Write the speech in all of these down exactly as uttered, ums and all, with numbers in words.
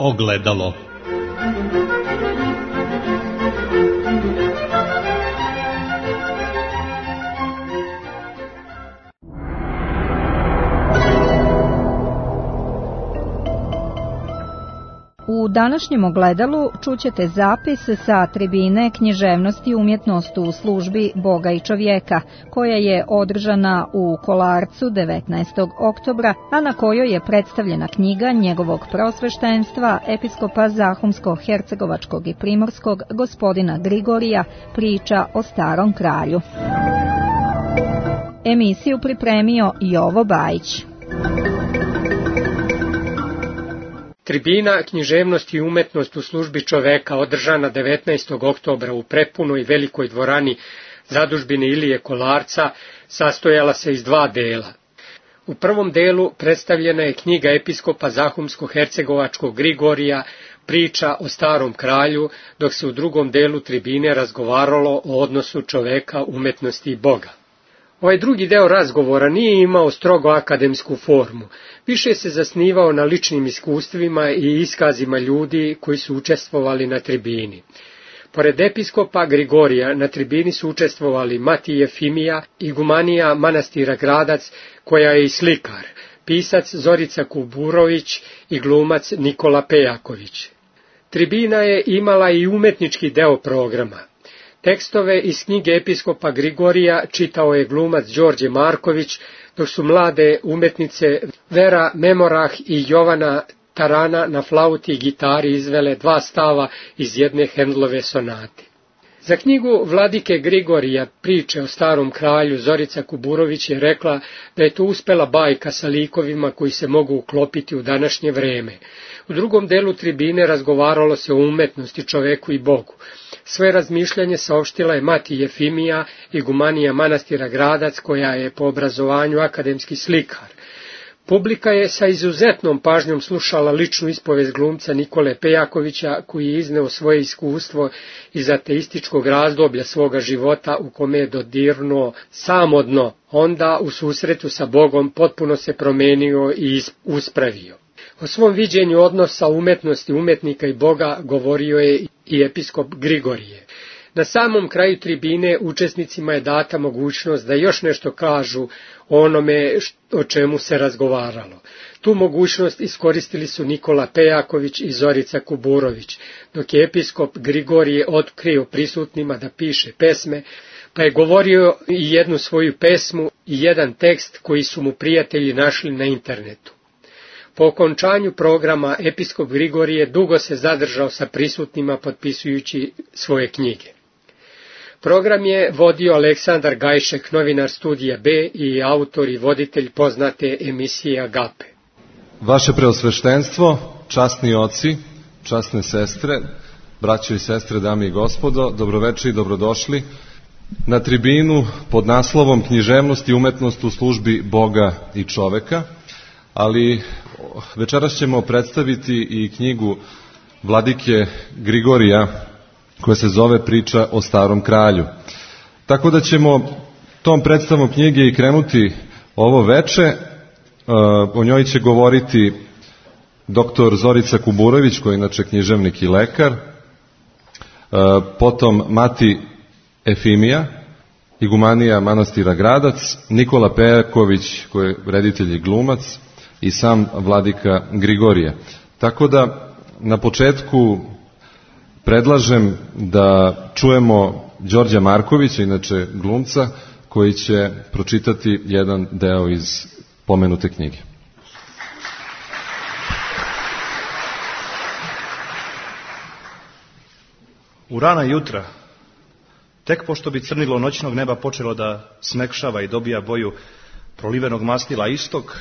ogledalo. U današnjem ogledalu čućete zapis sa tribine Književnost i umjetnost u službi Boga i čovjeka, koja je održana u Kolarcu devetnaestog oktobra, a na kojoj je predstavljena knjiga njegovog prosveštenstva, episkopa Zahumsko-Hercegovačkog i Primorskog, gospodina Grigorija, Priča o starom kralju. Emisiju pripremio Jovo Bajić. Tribina Književnost i umetnost u službi čoveka, održana devetnaestog oktobra u prepunoj velikoj dvorani zadužbine Ilije Kolarca, sastojala se iz dva dela. U prvom delu predstavljena je knjiga episkopa Zahumsko-Hercegovačkog Grigorija, Priča o starom kralju, dok se u drugom delu tribine razgovaralo o odnosu čoveka, umetnosti i Boga. Ovaj drugi deo razgovora nije imao strogo akademsku formu, više se zasnivao na ličnim iskustvima i iskazima ljudi koji su učestvovali na tribini. Pored episkopa Grigorija na tribini su učestvovali Mati Jefimija, igumanija manastira Gradac, koja je i slikar, pisac Zorica Kuburović i glumac Nikola Pejaković. Tribina je imala i umetnički deo programa. Tekstove iz knjige episkopa Grigorija čitao je glumac Đorđe Marković, dok su mlade umetnice Vera Memorah i Jovana Tarana na flauti i gitari izvele dva stava iz jedne Hendlove sonate. Za knjigu vladike Grigorija, Priče o starom kralju, Zorica Kuburović je rekla da je to uspela bajka sa likovima koji se mogu uklopiti u današnje vreme. U drugom delu tribine razgovaralo se o umetnosti, čoveku i Bogu. Svoje razmišljanje saopštila je Mati Jefimija, igumanija manastira Gradac, koja je po obrazovanju akademski slikar. Publika je sa izuzetnom pažnjom slušala ličnu ispovest glumca Nikole Pejakovića, koji je izneo svoje iskustvo iz ateističkog razdoblja svoga života u kome je dodirnuo samo dno. Onda u susretu sa Bogom potpuno se promenio i uspravio. O svom viđenju odnosa umetnosti umetnika i Boga govorio je i episkop Grigorije. Na samom kraju tribine učesnicima je data mogućnost da još nešto kažu o onome o čemu se razgovaralo. Tu mogućnost iskoristili su Nikola Pejaković i Zorica Kuburović, dok je episkop Grigorije otkrio prisutnima da piše pesme, pa je govorio i jednu svoju pesmu i jedan tekst koji su mu prijatelji našli na internetu. Po okončanju programa episkop Grigorije dugo se zadržao sa prisutnima potpisujući svoje knjige. Program je vodio Aleksandar Gajšek, novinar Studija B i autor i voditelj poznate emisije Agape. Vaše preosveštenstvo, časni oci, časne sestre, braćo i sestre, dame i gospodo, dobroveče i dobrodošli na tribinu pod naslovom Književnost i umetnost u službi Boga i čoveka, ali večeras ćemo predstaviti i knjigu vladike Grigorija, koja se zove Priča o starom kralju. Tako da ćemo tom predstavom knjige i krenuti ovo veče. O njoj će govoriti doktor Zorica Kuburović, koji je inače književnik i lekar, potom Mati Efimija, igumanija manastira Gradac, Nikola Pejaković, koji je reditelj i glumac, i sam vladika Grigorije. Tako da na početku predlažem da čujemo Đorđa Markovića, inače glumca, koji će pročitati jedan deo iz pomenute knjige. U rana jutra, tek pošto bi crnilo noćnog neba počelo da smekšava i dobija boju prolivenog mastila istok,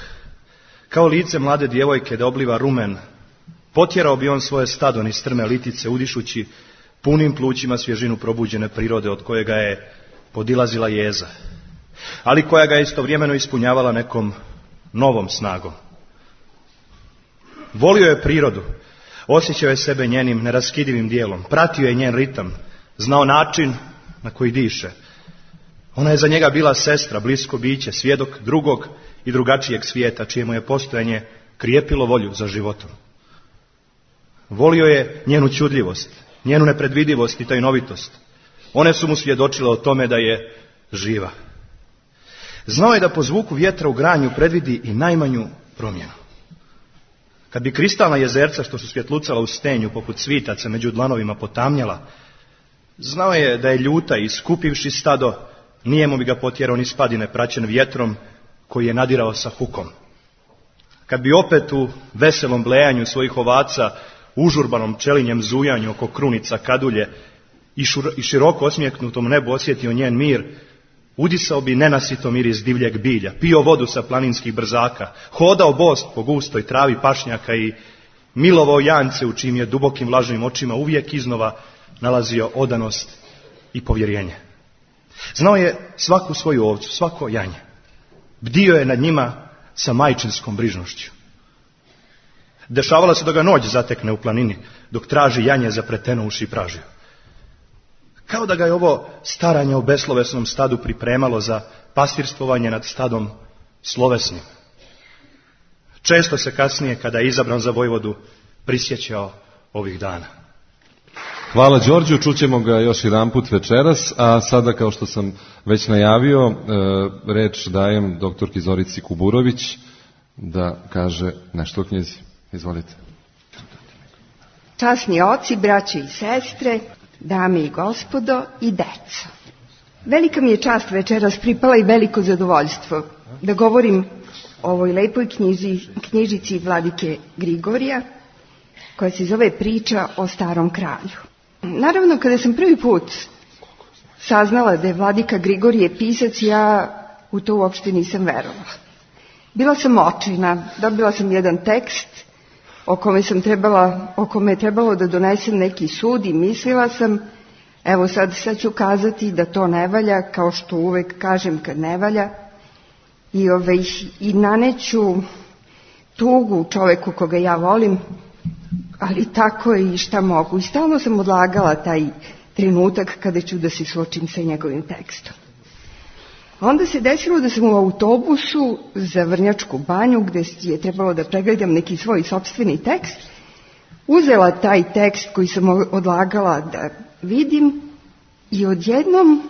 kao lice mlade djevojke da obliva rumen, potjerao bi on svoje stado niz strme litice, udišući punim plućima svježinu probuđene prirode od kojega je podilazila jeza, ali koja ga je istovremeno ispunjavala nekom novom snagom. Volio je prirodu, osjećao je sebe njenim neraskidivim dijelom, pratio je njen ritam, znao način na koji diše. Ona je za njega bila sestra, blisko biće, svjedok drugog i drugačijeg svijeta, čije mu je postojanje krijepilo volju za životom. Volio je njenu ćudljivost, njenu nepredvidivost i tajnovitost. One su mu svjedočile o tome da je živa. Znao je da po zvuku vjetra u granju predvidi i najmanju promjenu. Kad bi kristalna jezerca što su svjetlucala u stenju poput svitaca među dlanovima potamnjala, znao je da je ljuta i skupivši stado, nijemo bi ga potjerao ni spadine praćen vjetrom koji je nadirao sa hukom. Kad bi opet u veselom blejanju svojih ovaca, užurbanom pčelinjem zujanju oko krunica kadulje i, šur, i široko osmijeknutom nebu osjetio njen mir, udisao bi nenasito miris divljeg bilja, pio vodu sa planinskih brzaka, hodao bost po gustoj travi pašnjaka i milovao jance u čijim je dubokim vlažnim očima uvijek iznova nalazio odanost i povjerenje. Znao je svaku svoju ovcu, svako janje. Bdio je nad njima sa majčinskom brižnošću. Dešavalo se da ga noć zatekne u planini, dok traži janje zapreteno uši pražio. Kao da ga je ovo staranje o beslovesnom stadu pripremalo za pastirstvovanje nad stadom slovesnim. Često se kasnije, kada je izabran za vojvodu, prisjećao ovih dana. Hvala Đorđu, čućemo ga još jedan put večeras, a sada, kao što sam već najavio, reč dajem doktorki Zorici Kuburović da kaže nešto o knjizi. Izvolite. Časni oci, braće i sestre, dame i gospodo i deco. Velika mi je čast večeras pripala i veliko zadovoljstvo da govorim o ovoj lepoj knjizi, knjižici vladike Grigorija, koja se zove Priča o starom kralju. Naravno, kada sam prvi put saznala da je vladika Grigorije pisac, ja u to uopšte nisam verovala. Bila sam očajna, dobila sam jedan tekst o kome sam trebala, o kome je trebalo da donesem neki sud i mislila sam, evo sad, sad ću kazati da to ne valja, kao što uvek kažem kad ne valja, i, ove, i naneću tugu čoveku koga ja volim, ali tako je i šta mogu. I stalno sam odlagala taj trenutak kada ću da se suočim sa njegovim tekstom. Onda se desilo da sam u autobusu za Vrnjačku banju, gde je trebalo da pregledam neki svoj sopstveni tekst, uzela taj tekst koji sam odlagala da vidim i odjednom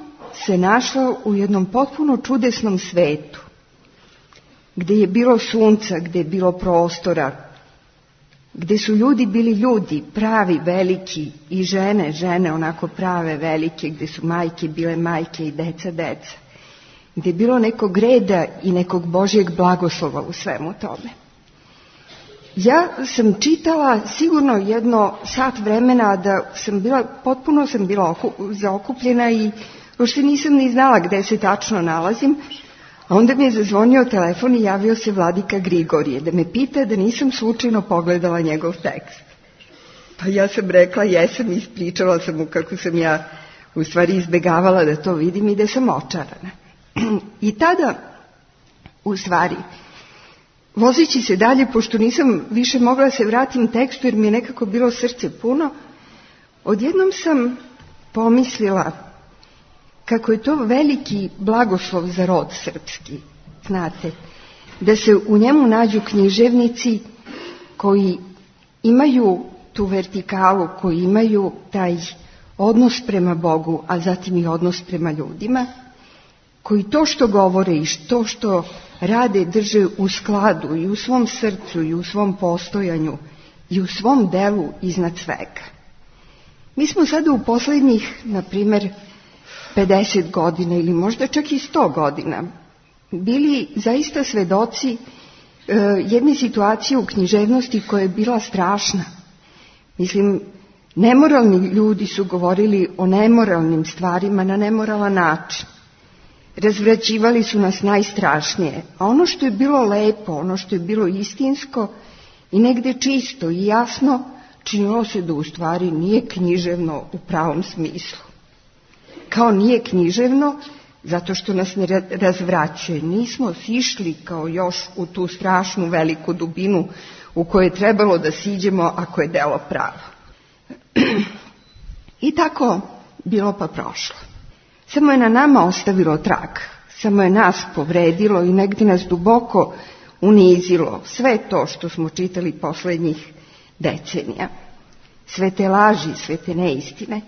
se našla u jednom potpuno čudesnom svetu, gde je bilo sunca, gde je bilo prostora, gde su ljudi bili ljudi, pravi, veliki, i žene, žene onako prave, velike, gde su majke bile majke i deca, deca, gde je bilo nekog reda i nekog Božjeg blagoslova u svemu tome. Ja sam čitala sigurno jedno sat vremena, da sam bila, potpuno sam bila zaokupljena i uopšte nisam ni znala gde se tačno nalazim, a onda mi je zazvonio telefon i javio se vladika Grigorije da me pita da nisam slučajno pogledala njegov tekst. Pa ja sam rekla jesam, ispričala sam mu kako sam ja u stvari izbegavala da to vidim i da sam očarana. I tada, u stvari, vozeći se dalje, pošto nisam više mogla da se vratim tekstu jer mi je nekako bilo srce puno, odjednom sam pomislila kako je to veliki blagoslov za rod srpski, znate, da se u njemu nađu književnici koji imaju tu vertikalu, koji imaju taj odnos prema Bogu, a zatim i odnos prema ljudima, koji to što govore i to što rade drže u skladu i u svom srcu i u svom postojanju i u svom delu iznad svega. Mi smo sada u poslednjih, na primer, pedeset godina ili možda čak i sto godina bili zaista svedoci e, jedne situacije u književnosti koja je bila strašna. Mislim, nemoralni ljudi su govorili o nemoralnim stvarima na nemoralan način. Razvraćivali su nas najstrašnije, a ono što je bilo lepo, ono što je bilo istinsko i negde čisto i jasno, činilo se da u stvari nije književno u pravom smislu. Kao nije književno zato što nas ne razvraćuje. Nismo sišli kao još u tu strašnu veliku dubinu u kojoj je trebalo da siđemo ako je delo pravo. I tako bilo pa prošlo. Samo je na nama ostavilo trag, samo je nas povredilo i negdje nas duboko unizilo sve to što smo čitali poslednjih decenija. sve te laži, sve te neistine,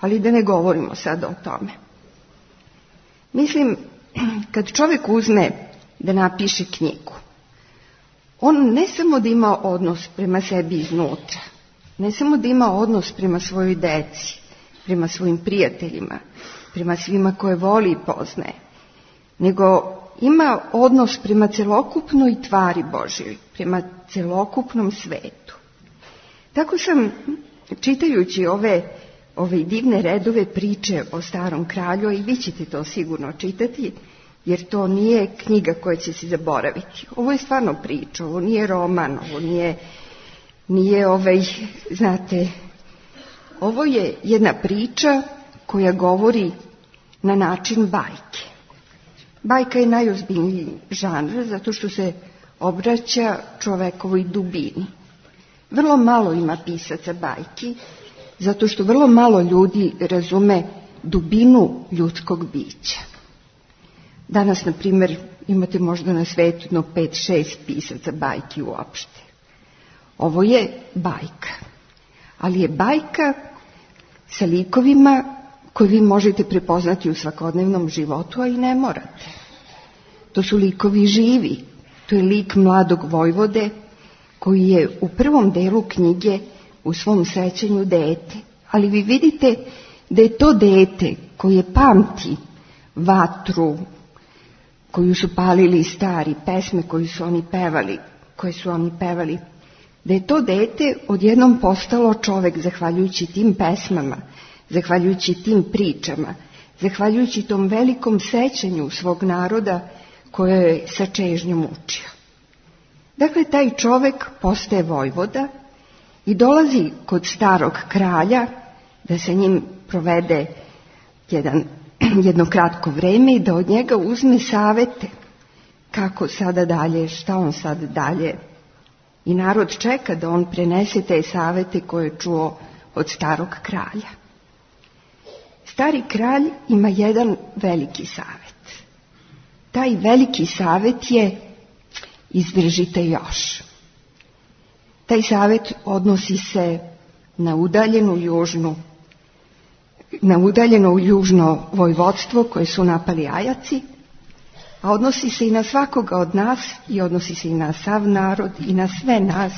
ali da ne govorimo sad o tome. Mislim, kad čovjek uzme da napiše knjigu, on ne samo da ima odnos prema sebi iznutra, ne samo da ima odnos prema svojoj deci, prema svojim prijateljima, prema svima koje voli i poznaje, nego ima odnos prema celokupnoj tvari Božjoj, prema celokupnom svetu. Tako sam, čitajući ove, ove divne redove priče o starom kralju, i vi ćete to sigurno čitati, jer to nije knjiga koja će se zaboraviti. Ovo je stvarno priča, ovo nije roman, ovo nije, nije ovaj, znate, ovo je jedna priča koja govori na način bajke. Bajka je najozbiljniji žanr zato što se obraća čovekovoj dubini. Vrlo malo ima pisaca bajki, zato što vrlo malo ljudi razume dubinu ljudskog bića. Danas, na primjer, imate možda na svetu no pet, šest pisaca bajki uopšte. Ovo je bajka, ali je bajka sa likovima koje vi možete prepoznati u svakodnevnom životu, a i ne morate. To su likovi živi. To je lik mladog vojvode koji je u prvom delu knjige u svom sećanju dete. Ali vi vidite da je to dete koje pamti vatru koju su palili stari, pesme koju su oni pevali, koje su oni pevali, da je to dete odjednom postalo čovek zahvaljujući tim pesmama, zahvaljujući tim pričama, zahvaljujući tom velikom sećanju svog naroda koje je sa čežnjom učio. Dakle, taj čovek postaje vojvoda i dolazi kod starog kralja da sa njim provede jedan, jedno kratko vreme i da od njega uzme savete kako sada dalje, šta on sad dalje. I narod čeka da on prenese te savete koje je čuo od starog kralja. Stari kralj ima jedan veliki savet. Taj veliki savet je izdržite još. Taj savet odnosi se na udaljenu južnu, na udaljeno južno vojvodstvo koje su napali Ajaci, a odnosi se i na svakoga od nas i odnosi se i na sav narod i na sve nas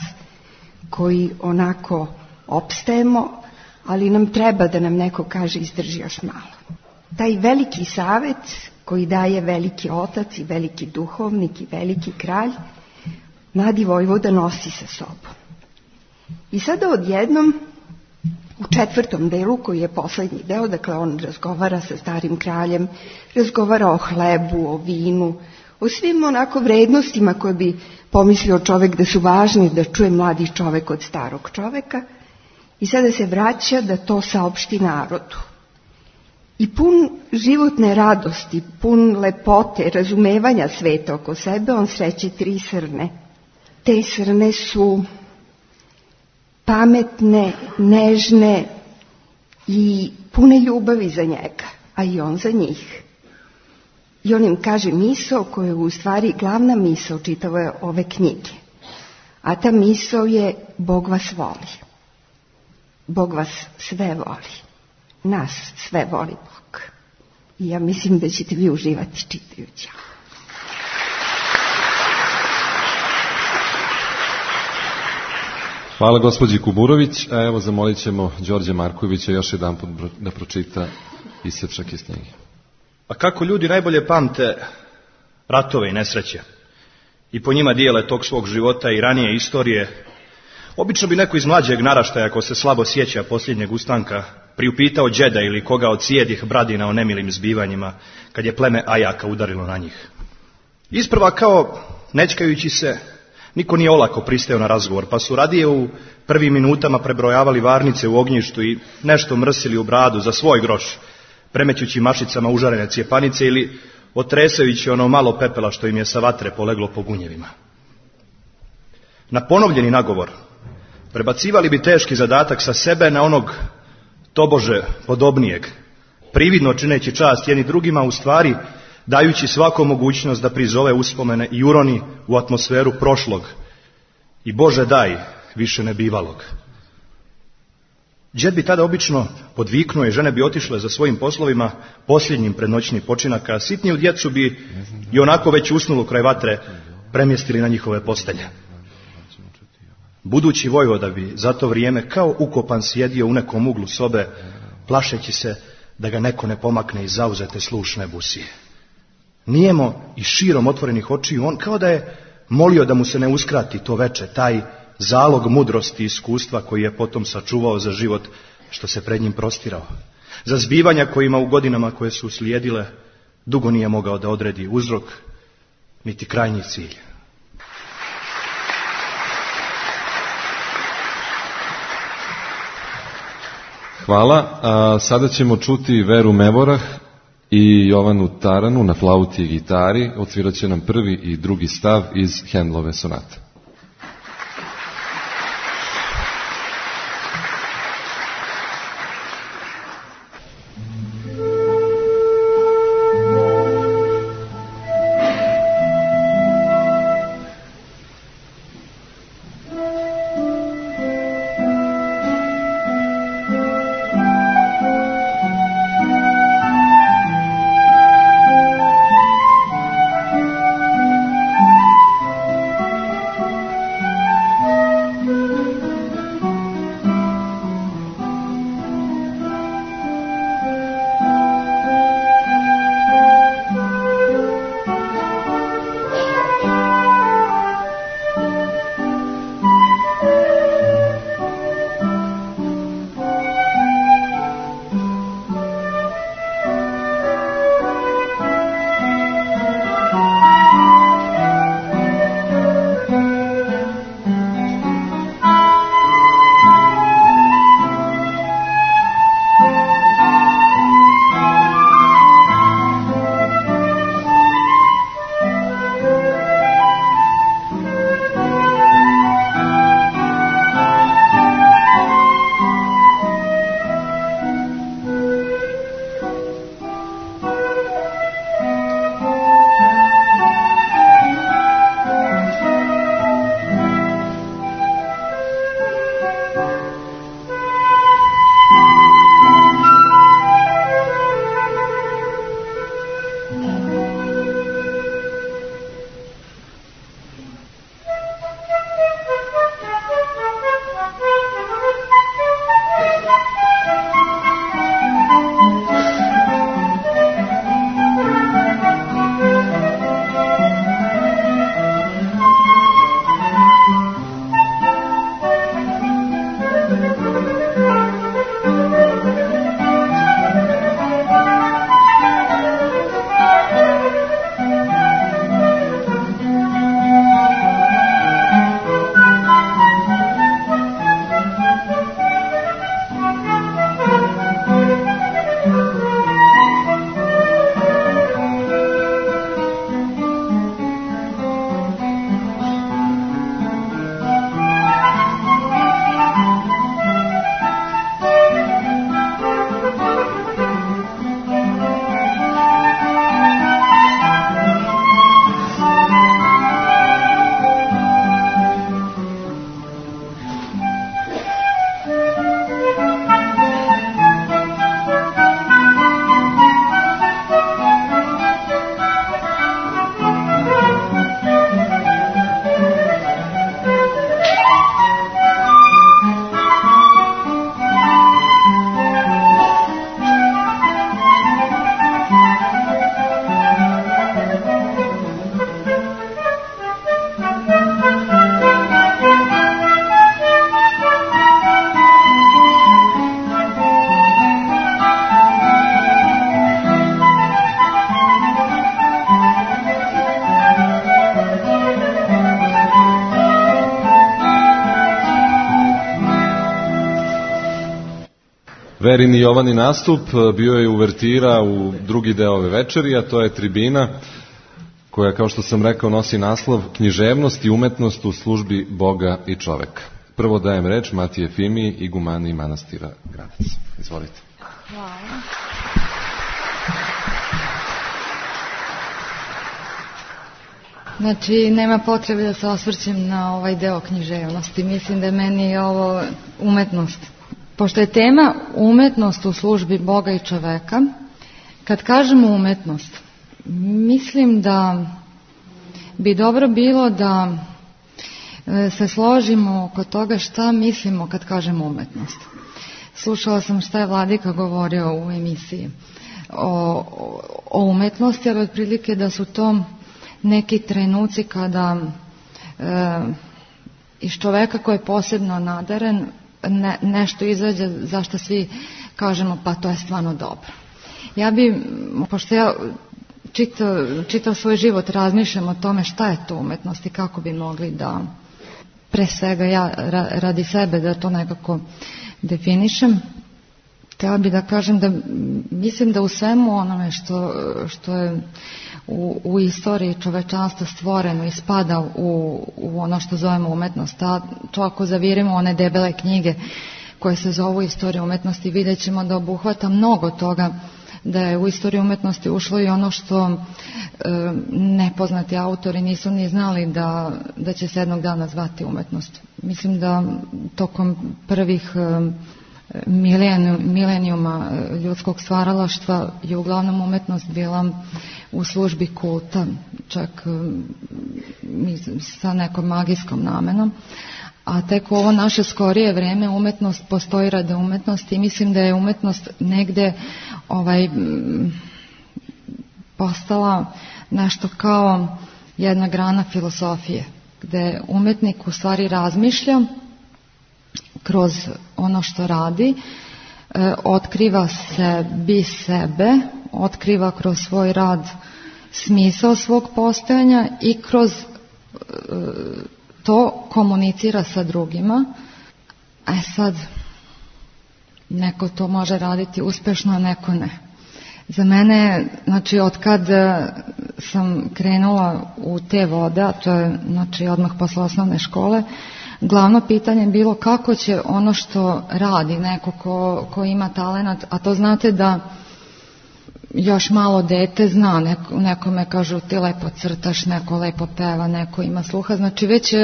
koji onako opstajemo, ali nam treba da nam neko kaže izdrži još malo. Taj veliki savet koji daje veliki otac i veliki duhovnik i veliki kralj, mladi vojvoda nosi sa sobom. I sada odjednom, u četvrtom delu, koji je poslednji deo, dakle on razgovara sa starim kraljem, razgovara o hlebu, o vinu, o svim onako vrednostima koje bi pomislio čovek da su važni da čuje mladi čovek od starog čoveka, i sada se vraća da to saopšti narodu. I pun životne radosti, pun lepote, razumevanja sveta oko sebe, on sreće tri srne. Te srne su pametne, nežne i pune ljubavi za njega, a i on za njih. I on im kaže misao koja je u stvari glavna misao čitave ove knjige. A ta misao je Bog vas voli. Bog vas sve voli. Nas sve voli Bog. I ja mislim da ćete vi uživati čitajući. Hvala gospođi Kuburović, a evo zamolit ćemo Đorđe Markovića još jedan put da pročita isječak iz knjige. A kako ljudi najbolje pamte ratove i nesreće i po njima dijele tok svog života i ranije istorije, obično bi neko iz mlađeg naraštaja, ako se slabo sjeća posljednjeg ustanka, priupitao đeda ili koga od sjedih bradina o nemilim zbivanjima kad je pleme Ajaka udarilo na njih. Isprva kao nečkajući se, niko nije olako pristajao na razgovor, pa su radije u prvim minutama prebrojavali varnice u ognjištu i nešto mrsili u bradu za svoj groš, premećući mašicama užarene cijepanice ili otresajući ono malo pepela što im je sa vatre poleglo po gunjevima. Na ponovljeni nagovor prebacivali bi teški zadatak sa sebe na onog tobože podobnijeg, prividno čineći čast jedni drugima, u stvari dajući svakom mogućnost da prizove uspomene i uroni u atmosferu prošlog i Bože daj više nebivalog. Đed bi tada obično podviknuo i žene bi otišle za svojim poslovima posljednjim pred noćni počinak, a sitniju djecu bi i onako već usnulo kraj vatre premjestili na njihove postelje. Budući vojvoda bi za to vrijeme kao ukopan sjedio u nekom uglu sobe, plašeći se da ga neko ne pomakne iz zauzete slušne busije. Nijemo i širom otvorenih očiju, on kao da je molio da mu se ne uskrati to veče, taj zalog mudrosti i iskustva koji je potom sačuvao za život što se pred njim prostirao. Za zbivanja kojima u godinama koje su slijedile dugo nije mogao da odredi uzrok niti krajnji cilj. Hvala. A sada ćemo čuti Veru Mevorah i Jovanu Taranu na flauti i gitari. Odsvirat će nam prvi i drugi stav iz Handelove sonate. Verin i Jovani nastup bio je uvertira u drugi deo ove večeri, a to je tribina koja, kao što sam rekao, nosi naslov Književnost i umetnost u službi Boga i čoveka. Prvo dajem reč Matiji Efimiji, igumani manastira Gradac. Izvolite. Hvala. Znači, nema potrebe da se osvrćem na ovaj deo književnosti. Mislim da je meni ovo umetnost. Pošto je tema umetnost u službi Boga i čoveka, kad kažemo umetnost, mislim da bi dobro bilo da se složimo oko toga šta mislimo kad kažemo umetnost. Slušala sam šta je Vladika govorio u emisiji o, o umetnosti, ali otprilike da su to neki trenuci kada e, iz čoveka koji je posebno nadaren ne, nešto izađe za što svi kažemo pa to je stvarno dobro. Ja bi, pošto ja čitav, čitav svoj život razmišljam o tome šta je to umetnost i kako bi mogli da, pre svega ja radi sebe da to nekako definišem, htjela bi da kažem da mislim da u svemu onome što, što je u, u istoriji čovečanstva stvoreno i spada u, u ono što zovemo umetnost, a to ako zavirimo one debele knjige koje se zovu Istorija umetnosti, vidjet ćemo da obuhvata mnogo toga, da je u istoriju umetnosti ušlo i ono što e, nepoznati autori nisu ni znali da, da će se jednog dana zvati umetnost. Mislim da tokom prvih e, milenijuma ljudskog stvaralaštva je uglavnom umetnost bila u službi kulta, čak e, sa nekom magijskom namenom. A tek u ovo naše skorije vreme umetnost postoji radi umetnosti i mislim da je umetnost negde ovaj, postala nešto kao jedna grana filosofije, gde umetnik u stvari razmišlja kroz ono što radi, e, otkriva sebi sebe, otkriva kroz svoj rad smisao svog postojanja i kroz e, to komunicira sa drugima. A sad, neko to može raditi uspešno, a neko ne. Za mene, znači, od kad sam krenula u te vode, a to je, znači, odmah posle osnovne škole, glavno pitanje je bilo kako će ono što radi neko ko, ko ima talenat, a to znate da još malo dete zna, neko, nekome kažu ti lepo crtaš, neko lepo peva, neko ima sluha, znači već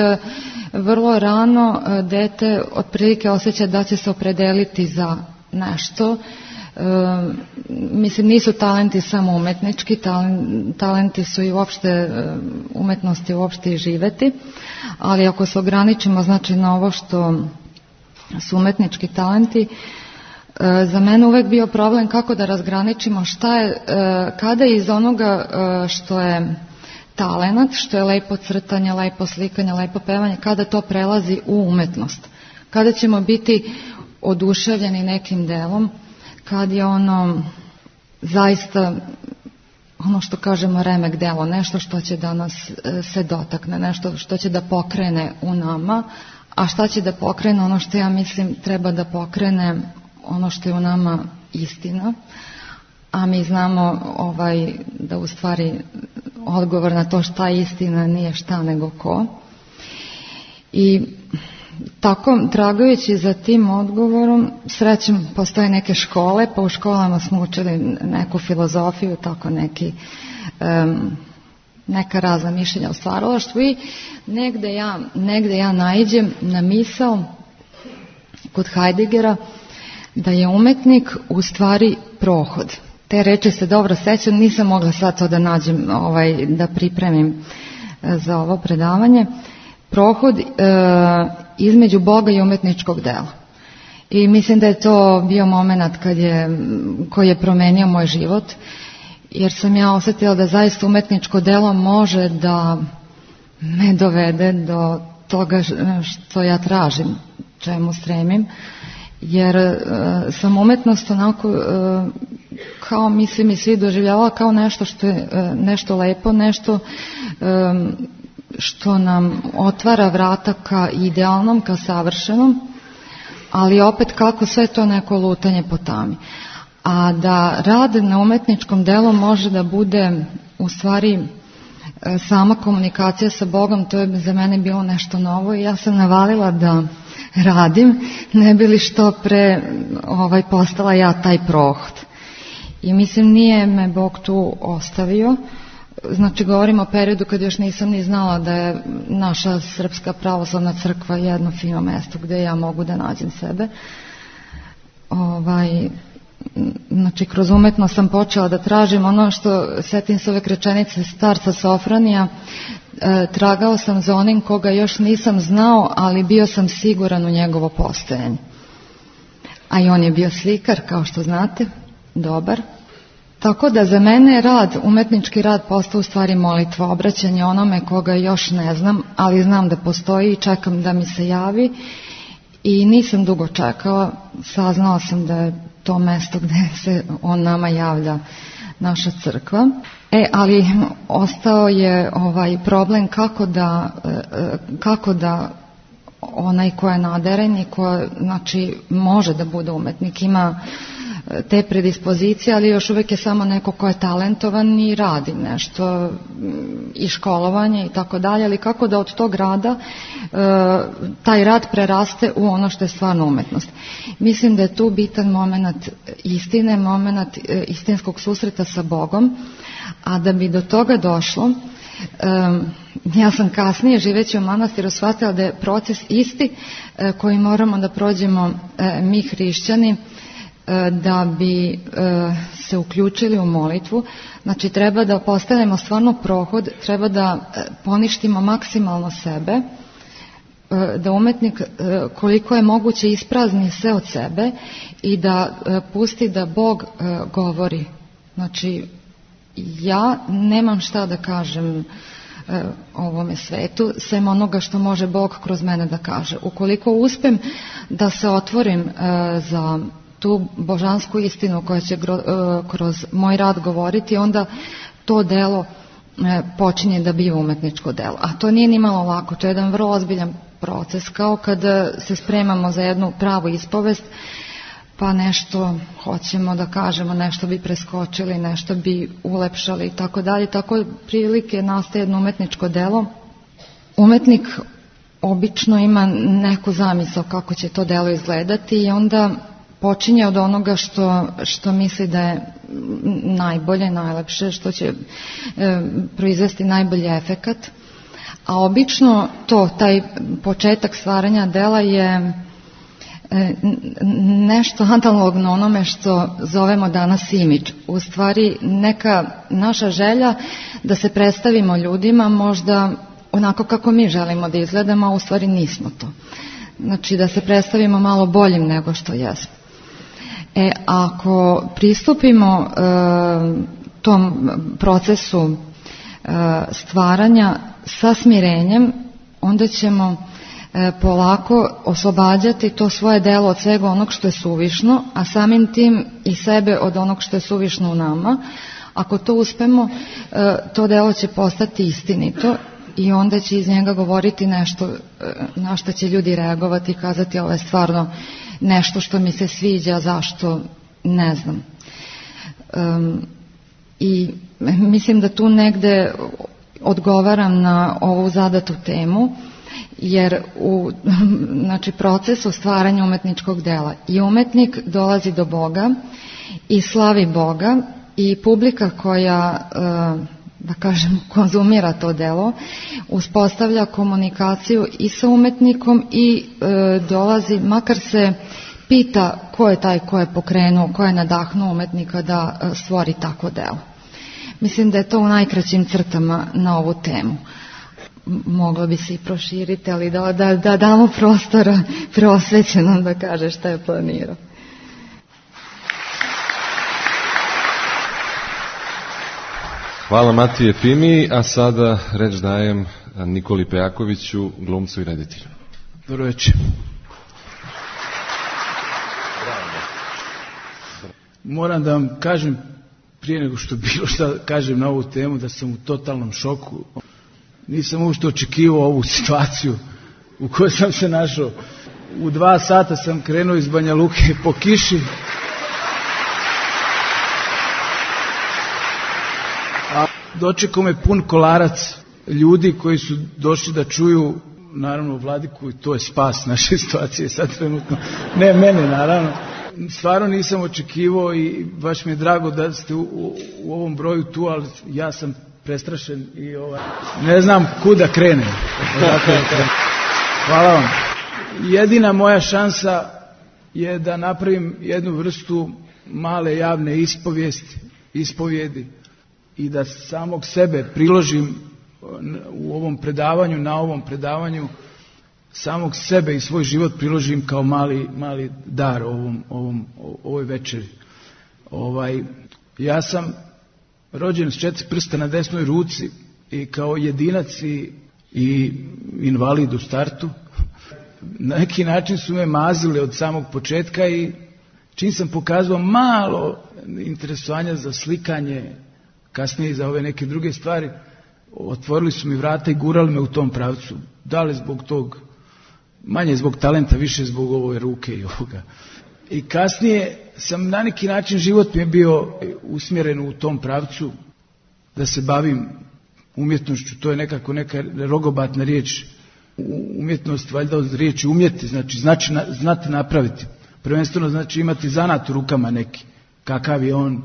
vrlo rano dete otprilike osjeća da će se opredeliti za nešto. E, mislim, nisu talenti samo umetnički, talenti su i uopšte umetnosti uopšte i živeti, ali ako se ograničimo znači na ovo što su umetnički talenti, za mene uvek bio problem kako da razgraničimo šta je, kada iz onoga što je talenat, što je lepo crtanje, lepo slikanje, lepo pevanje, kada to prelazi u umetnost. Kada ćemo biti oduševljeni nekim delom, kad je ono zaista ono što kažemo remek delo, nešto što će da nas se dotakne, nešto što će da pokrene u nama, a šta će da pokrene ono što ja mislim treba da pokrene ono što je u nama istina, a mi znamo ovaj, da u stvari odgovor na to šta je istina nije šta nego ko. I tako, tragajući za tim odgovorom, srećem postoje neke škole, pa u školama smo učili neku filozofiju, tako neki um, neka razna mišljenja o stvaralaštvu i negde ja, negde ja naiđem na misao kod Heideggera da je umetnik u stvari prohod. Te reči se dobro sećam, nisam mogla sad to da nađem, ovaj, da pripremim za ovo predavanje. Prohod e, između Boga i umetničkog dela. I mislim da je to bio moment kad je, koji je promenio moj život, jer sam ja osjetila da zaista umetničko delo može da me dovede do toga što ja tražim, čemu stremim. Jer e, sam umetnost onako e, kao mislim i svi doživljavala kao nešto što je e, nešto lepo, nešto e, što nam otvara vrata ka idealnom, ka savršenom, ali opet kako sve to neko lutanje po tami. A da rad na umetničkom delu može da bude u stvari e, sama komunikacija sa Bogom, to je za mene bilo nešto novo i ja sam navalila da radim, ne bi li što pre ovaj, postala ja taj prohod. I mislim nije me Bog tu ostavio, znači govorim o periodu kad još nisam ni znala da je naša Srpska pravoslavna crkva jedno fino mesto gde ja mogu da nađem sebe. ovaj, znači kroz umetnost sam počela da tražim ono što, setim se uvek rečenice starca Sofronija, e, tragao sam za onim koga još nisam znao, ali bio sam siguran u njegovo postojanje. A i on je bio slikar, kao što znate, dobar. Tako da za mene rad, umetnički rad postao u stvari molitva, obraćanje onome koga još ne znam, ali znam da postoji i čekam da mi se javi. I nisam dugo čekala, saznala sam da je to mesto gde se on nama javlja, naša crkva. E, ali ostao je ovaj problem kako da, kako da onaj ko je naderen i ko, znači, može da bude umetnik, ima te predispozicije, ali još uvijek je samo neko ko je talentovan i radi nešto i školovanje i tako dalje, ali kako da od tog rada taj rad preraste u ono što je stvarno umetnost. Mislim da je tu bitan moment istine, moment istinskog susreta sa Bogom, a da bi do toga došlo, ja sam kasnije živeći u manastiru shvatila da je proces isti koji moramo da prođemo mi hrišćani da bi se uključili u molitvu. Znači treba da postavimo stvarno prohod, treba da poništimo maksimalno sebe, da umetnik koliko je moguće isprazni sve od sebe i da pusti da Bog govori. Znači ja nemam šta da kažem ovome svetu, sem onoga što može Bog kroz mene da kaže. Ukoliko uspem da se otvorim za tu božansku istinu koja će kroz moj rad govoriti, onda to delo počinje da biva umetničko delo. A to nije ni malo lako, to je jedan vrlo ozbiljan proces, kao kada se spremamo za jednu pravu ispovest, pa nešto hoćemo da kažemo, nešto bi preskočili, nešto bi ulepšali i tako dalje. Tako prilike nastaje jedno umetničko delo. Umetnik obično ima neku zamisao kako će to delo izgledati i onda počinje od onoga što, što misli da je najbolje, najlepše, što će e, proizvesti najbolji efekat. A obično to, taj početak stvaranja dela je e, nešto analogno onome što zovemo danas imidž. U stvari neka naša želja da se predstavimo ljudima možda onako kako mi želimo da izgledamo, a u stvari nismo to. Znači da se predstavimo malo boljim nego što jesmo. E, ako pristupimo e, tom procesu e, stvaranja sa smirenjem, onda ćemo e, polako oslobađati to svoje delo od svega onog što je suvišno, a samim tim i sebe od onog što je suvišno u nama. Ako to uspemo, e, to delo će postati istinito i onda će iz njega govoriti nešto e, na što će ljudi reagovati i kazati ovo je stvarno nešto što mi se sviđa, zašto, ne znam. Um, I mislim da tu negde odgovaram na ovu zadatu temu, jer u znači, procesu stvaranja umetničkog dela i umetnik dolazi do Boga i slavi Boga i publika koja, da kažem, konzumira to delo, uspostavlja komunikaciju i sa umetnikom i e, dolazi, makar se pita ko je taj ko je pokrenuo, ko je nadahnuo umetnika da e, stvori tako delo. Mislim da je to u najkraćim crtama na ovu temu. Moglo bi se i proširiti, ali da, da, da damo prostora preosvećenom da kaže šta je planirao. Hvala Matije Fimi, a sada reč dajem Nikoli Pejakoviću, glumcu i reditelju. Dobro večer. Moram da vam kažem, prije nego što bilo šta kažem na ovu temu, da sam u totalnom šoku. Nisam uopšte očekivao ovu situaciju u kojoj sam se našao. U dva sata sam krenuo iz Banja Luke po kiši. A dočekao me pun kolarac ljudi koji su došli da čuju, naravno, vladiku, i to je spas naše situacije sad trenutno. Ne mene, naravno. Stvarno nisam očekivao i baš mi je drago da ste u, u, u ovom broju tu, ali ja sam prestrašen i ovaj, ne znam kuda krenem. Hvala vam. Jedina moja šansa je da napravim jednu vrstu male javne ispovijesti, ispovjedi i da samog sebe priložim u ovom predavanju, na ovom predavanju, samog sebe i svoj život priložim kao mali, mali dar ovom, ovom, ovoj večeri. Ovaj, ja sam rođen s četiri prsta na desnoj ruci i kao jedinac i, i invalid u startu. Na neki način su me mazili od samog početka i čim sam pokazao malo interesovanja za slikanje, kasnije i za ove neke druge stvari, otvorili su mi vrata i gurali me u tom pravcu. Da li zbog tog, manje zbog talenta, više zbog ove ruke i ovoga. I kasnije sam na neki način, život mi je bio usmjeren u tom pravcu da se bavim umjetnošću. To je nekako neka rogobatna riječ. Umjetnost valjda od riječi umjeti, znači, znači znati napraviti. Prvenstveno znači imati zanat u rukama neki. Kakav je on,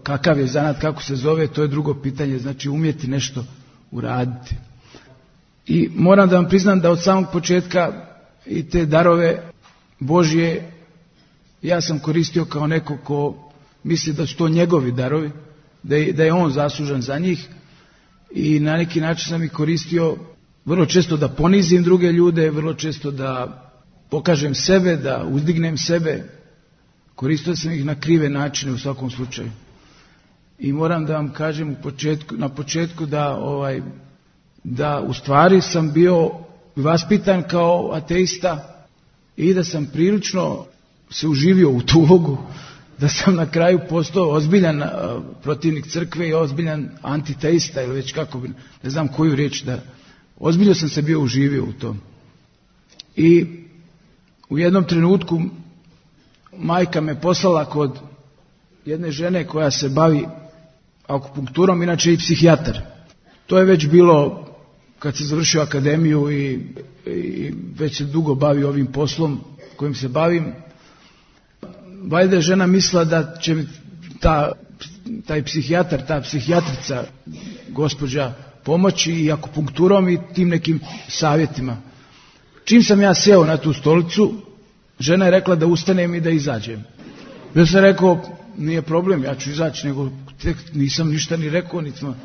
kakav je zanat, kako se zove, to je drugo pitanje. Znači umjeti nešto uraditi. I moram da vam priznam da od samog početka i te darove Božje ja sam koristio kao neko ko misli da su to njegovi darovi, da je, da je on zaslužan za njih i na neki način sam ih koristio vrlo često da ponizim druge ljude, vrlo često da pokažem sebe, da uzdignem sebe. Koristio sam ih na krive načine u svakom slučaju. I moram da vam kažem u početku, na početku da, ovaj, da u stvari sam bio vaspitan kao ateista i da sam prilično se uživio u tu ulogu, da sam na kraju postao ozbiljan protivnik crkve i ozbiljan antiteista ili već kako bi, ne znam koju riječ da, ozbiljno sam se bio uživio u tom. I u jednom trenutku majka me poslala kod jedne žene koja se bavi akupunkturom, inače i psihijatar. To je već bilo kad se završio akademiju i, i već se dugo bavi ovim poslom kojim se bavim. Valjda je žena mislila da će mi ta, taj psihijatar, ta psihijatrica, gospođa, pomoći i akupunkturom i tim nekim savjetima. Čim sam ja sjeo na tu stolicu, žena je rekla da ustanem i da izađem. Ja sam rekao, nije problem, ja ću izaći, nego tek nisam ništa ni rekao, niti smo...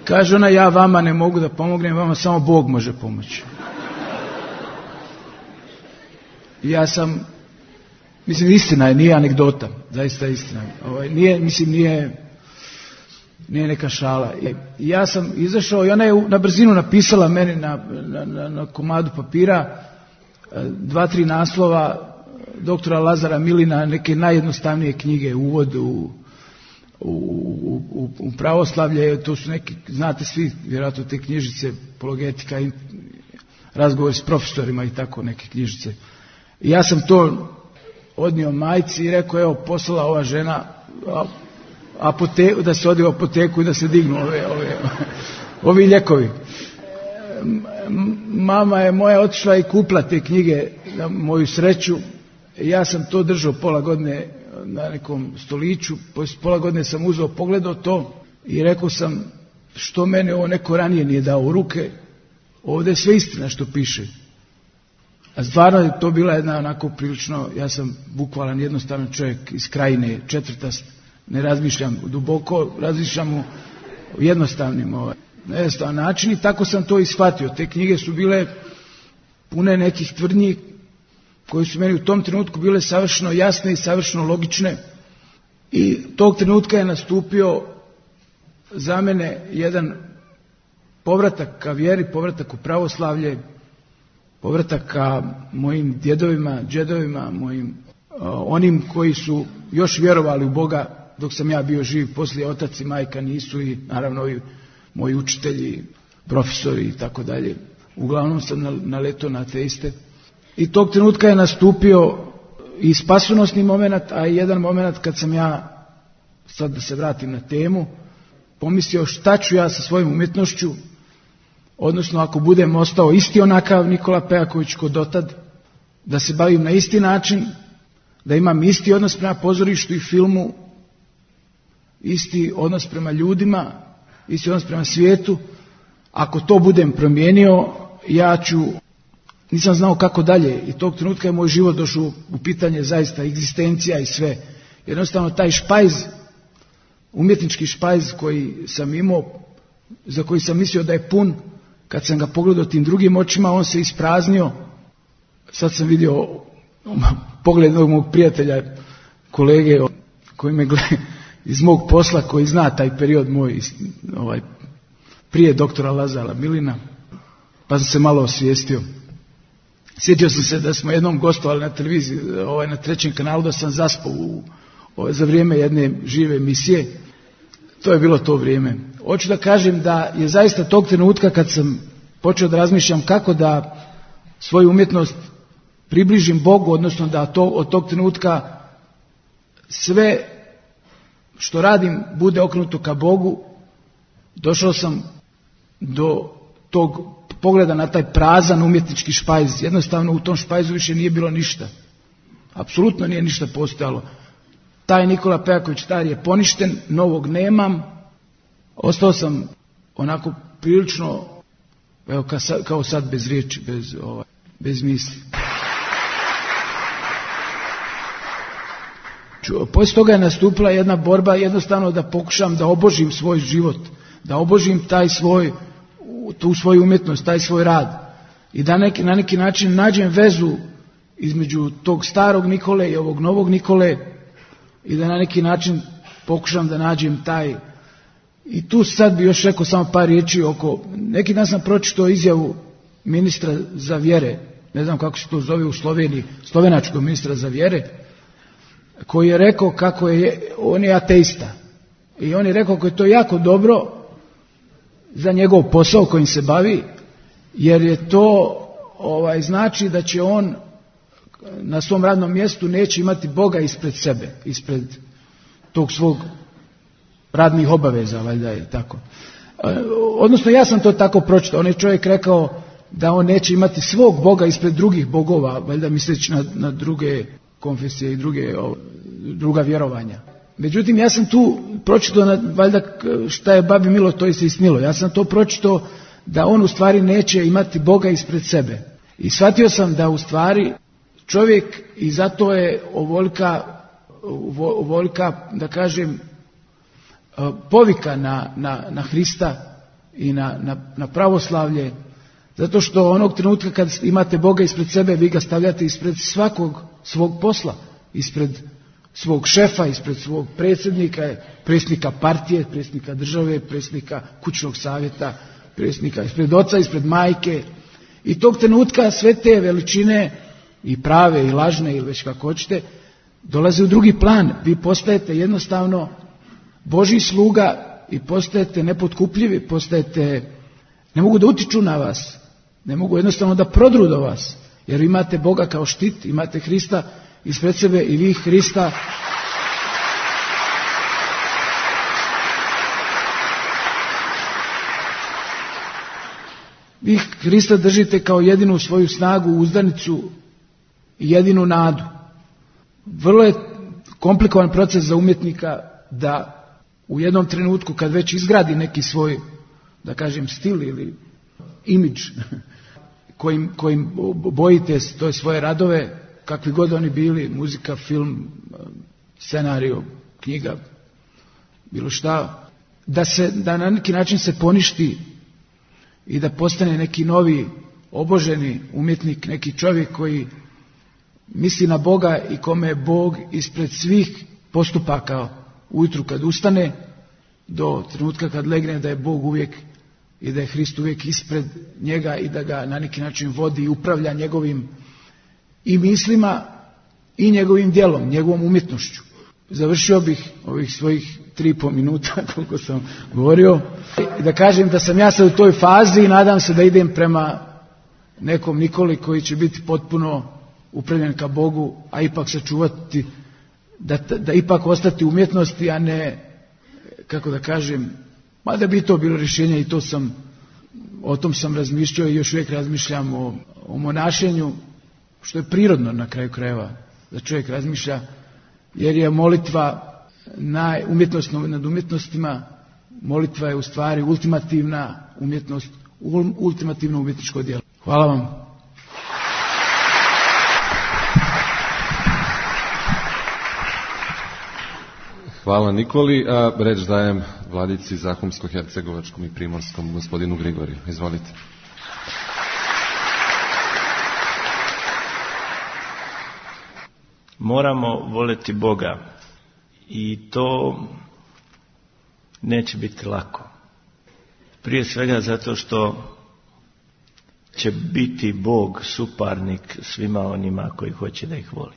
Kaže ona, ja vama ne mogu da pomognem, vama samo Bog može pomoći. Ja sam, mislim, istina je, nije anegdota, zaista istina. Ovaj, nije, mislim, nije, nije neka šala. Ja sam izašao i ona je na brzinu napisala meni na, na, na, na komadu papira dva, tri naslova doktora Lazara Milina, neke najjednostavnije knjige, uvod u, u, u, u pravoslavlje, to su neke, znate svi, vjerojatno te knjižice, apologetika, razgovor s profesorima i tako neke knjižice. I ja sam to odnio majci i rekao, evo, poslala ova žena apoteku, da se ode u apoteku i da se dignu ove, ove, ovi ljekovi. Mama je moja otišla i kupila te knjige na moju sreću. Ja sam to držao pola godine na nekom stoliću, poslije pola godine sam uzeo, pogledao to i rekao sam, što mene ovo neko ranije nije dao u ruke, ovdje je sve istina što piše. A stvarno je to bila jedna onako prilično, ja sam bukvalan jednostavan čovjek iz krajine, četvrtast, ne razmišljam duboko, razmišljam u jednostavnim ovaj, na jednostavan način i tako sam to ishvatio. Te knjige su bile pune nekih tvrdnji koje su meni u tom trenutku bile savršeno jasne i savršeno logične i tog trenutka je nastupio za mene jedan povratak ka vjeri, povratak u pravoslavlje, povratak ka mojim djedovima, džedovima, mojim uh, onim koji su još vjerovali u Boga dok sam ja bio živ, poslije otac i majka nisu i naravno i moji učitelji, profesori i tako dalje. Uglavnom sam naletao na ateiste. I tog trenutka je nastupio i spasonosni moment, a i jedan moment kad sam ja, sad da se vratim na temu, pomislio šta ću ja sa svojim umjetnošću, odnosno ako budem ostao isti onakav Nikola Pejaković ko dotad, da se bavim na isti način, da imam isti odnos prema pozorištu i filmu, isti odnos prema ljudima, isti odnos prema svijetu. Ako to budem promijenio, ja ću nisam znao kako dalje i tog trenutka je moj život došao u pitanje zaista egzistencija i sve. Jednostavno taj špajz, umjetnički špajz koji sam imao, za koji sam mislio da je pun, kad sam ga pogledao tim drugim očima, on se ispraznio. Sad sam vidio pogled mog prijatelja, kolege koji me gleda iz mog posla, koji zna taj period moj, ovaj, prije doktora Lazara Milina, pa sam se malo osvijestio. Sjetio sam se da smo jednom gostovali na televiziji, ovaj, na trećem kanalu, da sam zaspao u, ovaj, za vrijeme jedne žive emisije. To je bilo to vrijeme. Hoću da kažem da je zaista tog trenutka kad sam počeo da razmišljam kako da svoju umjetnost približim Bogu, odnosno da to, od tog trenutka sve što radim bude okrenuto ka Bogu, došao sam do tog pogleda na taj prazan umjetnički špajz. Jednostavno u tom špajzu više nije bilo ništa. Apsolutno nije ništa postojalo. Taj Nikola Pejaković stari je poništen, novog nemam. Ostao sam onako prilično, evo, kao sad bez riječi, bez, ovaj, bez misli. Poslije toga je nastupila jedna borba jednostavno da pokušam da obožim svoj život, da obožim taj svoj, tu svoju umjetnost, taj svoj rad i da neki, na neki način nađem vezu između tog starog Nikole i ovog novog Nikole i da na neki način pokušam da nađem taj. I tu sad bi još rekao samo par riječi oko, neki dan sam pročitao izjavu ministra za vjere, ne znam kako se to zove u Sloveniji, slovenačkog ministra za vjere, koji je rekao kako je, on je ateista. I on je rekao kako je to jako dobro za njegov posao kojim se bavi, jer je to ovaj, znači da će on na svom radnom mjestu neće imati Boga ispred sebe, ispred tog svog radnih obaveza, valjda je tako. Odnosno ja sam to tako pročitao, on je čovjek rekao da on neće imati svog Boga ispred drugih bogova, valjda misleći na, na druge konfesije i druge, o, druga vjerovanja. Međutim, ja sam tu pročitao, na, valjda šta je babi milo, to je se isnilo. Ja sam to pročitao da on u stvari neće imati Boga ispred sebe. I shvatio sam da u stvari čovjek, i zato je ovolika, ovolika da kažem, povika na, na, na Hrista i na, na, na pravoslavlje, zato što onog trenutka kad imate Boga ispred sebe, vi ga stavljate ispred svakog svog posla, ispred svog šefa, ispred svog predsjednika, predsjednika partije, predsjednika države, predsjednika kućnog savjeta, predsjednika ispred oca, ispred majke. I tog trenutka sve te veličine, i prave i lažne ili već kako hoćete, dolaze u drugi plan. Vi postajete jednostavno Božji sluga i postajete nepotkupljivi, postajete, ne mogu da utiču na vas, ne mogu jednostavno da prodru do vas, jer imate Boga kao štit, imate Hrista ispred sebe i vi Hrista vi Hrista držite kao jedinu svoju snagu, uzdanicu i jedinu nadu. Vrlo je komplikovan proces za umjetnika da u jednom trenutku kad već izgradi neki svoj, da kažem, stil ili imidž kojim, kojim bojite to je svoje radove, kakvi god oni bili, muzika, film, scenario, knjiga, bilo šta, da se, da na neki način se poništi i da postane neki novi oboženi umjetnik, neki čovjek koji misli na Boga i kome je Bog ispred svih postupaka ujutru kad ustane do trenutka kad legne, da je Bog uvijek i da je Hrist uvijek ispred njega i da ga na neki način vodi i upravlja njegovim i mislima i njegovim djelom, njegovom umjetnošću. Završio bih ovih svojih tri i po minuta koliko sam govorio i da kažem da sam ja sad u toj fazi i nadam se da idem prema nekom Nikoli koji će biti potpuno upravljen ka Bogu, a ipak sačuvati, da, da ipak ostati u umjetnosti, a ne, kako da kažem, mada bi to bilo rješenje i to sam, o tom sam razmišljao i još uvijek razmišljam o, o monašenju, što je prirodno na kraju krajeva da čovjek razmišlja, jer je molitva naj, umjetnostno nad umjetnostima, molitva je u stvari ultimativna umjetnost, ultimativno umjetničko djelo. Hvala vam. Hvala Nikoli, a reč dajem vladici Zahumsko-hercegovačkom i primorskom gospodinu Grigoriju. Izvolite. Moramo voljeti Boga i to neće biti lako. Prije svega zato što će biti Bog suparnik svima onima koji hoće da ih voli,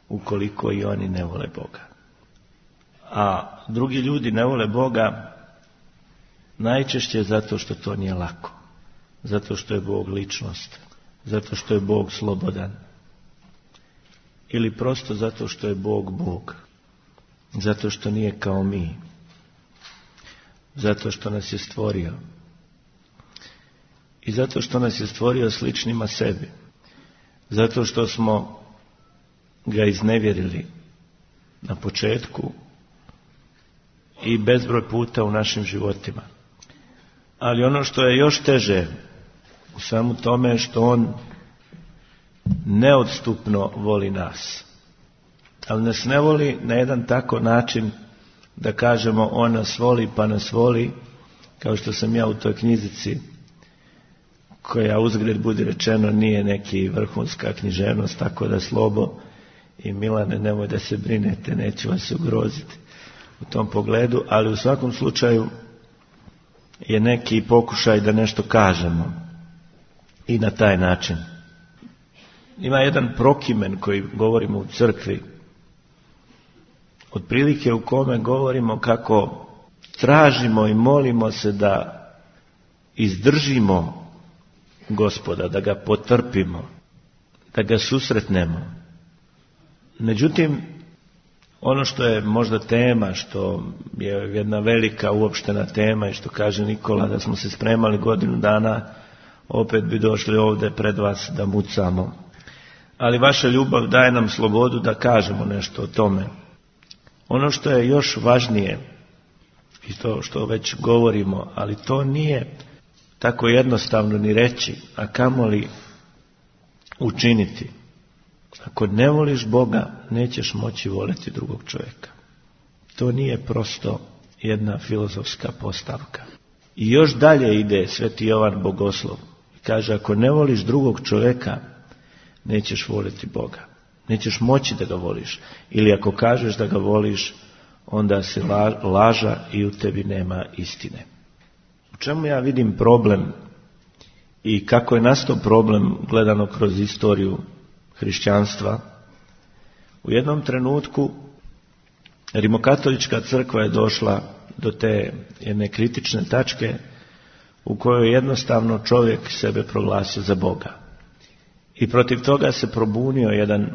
ukoliko i oni ne vole Boga. A drugi ljudi ne vole Boga najčešće zato što to nije lako, zato što je Bog ličnost, zato što je Bog slobodan, ili prosto zato što je Bog Bog, zato što nije kao mi, zato što nas je stvorio i zato što nas je stvorio sličnima sebi, zato što smo ga iznevjerili na početku i bezbroj puta u našim životima. Ali ono što je još teže u svemu tome je što on neodstupno voli nas. Ali nas ne voli na jedan tako način da kažemo on nas voli pa nas voli, kao što sam ja u toj knjizici, koja uzgred budi rečeno nije neki vrhunska književnost, tako da Slobo i Milane nemoj da se brinete, neću vas ugroziti u tom pogledu, ali u svakom slučaju je neki pokušaj da nešto kažemo i na taj način. Ima jedan prokimen koji govorimo u crkvi, otprilike u kome govorimo kako tražimo i molimo se da izdržimo Gospoda, da ga potrpimo, da ga susretnemo. Međutim, ono što je možda tema, što je jedna velika uopštena tema i što kaže Nikola da smo se spremali godinu dana, opet bi došli ovdje pred vas da mucamo. Ali vaša ljubav daje nam slobodu da kažemo nešto o tome. Ono što je još važnije, i to što već govorimo, ali to nije tako jednostavno ni reći, a kamoli učiniti. Ako ne voliš Boga, nećeš moći voliti drugog čovjeka. To nije prosto jedna filozofska postavka. I još dalje ide Sveti Jovan Bogoslov. Kaže, ako ne voliš drugog čovjeka, nećeš voliti Boga. Nećeš moći da ga voliš. Ili ako kažeš da ga voliš, onda si laža i u tebi nema istine. U čemu ja vidim problem i kako je nastao problem gledano kroz istoriju hrišćanstva? U jednom trenutku Rimokatolička crkva je došla do te jedne kritične tačke u kojoj jednostavno čovjek sebe proglasio za Boga. I protiv toga se probunio jedan,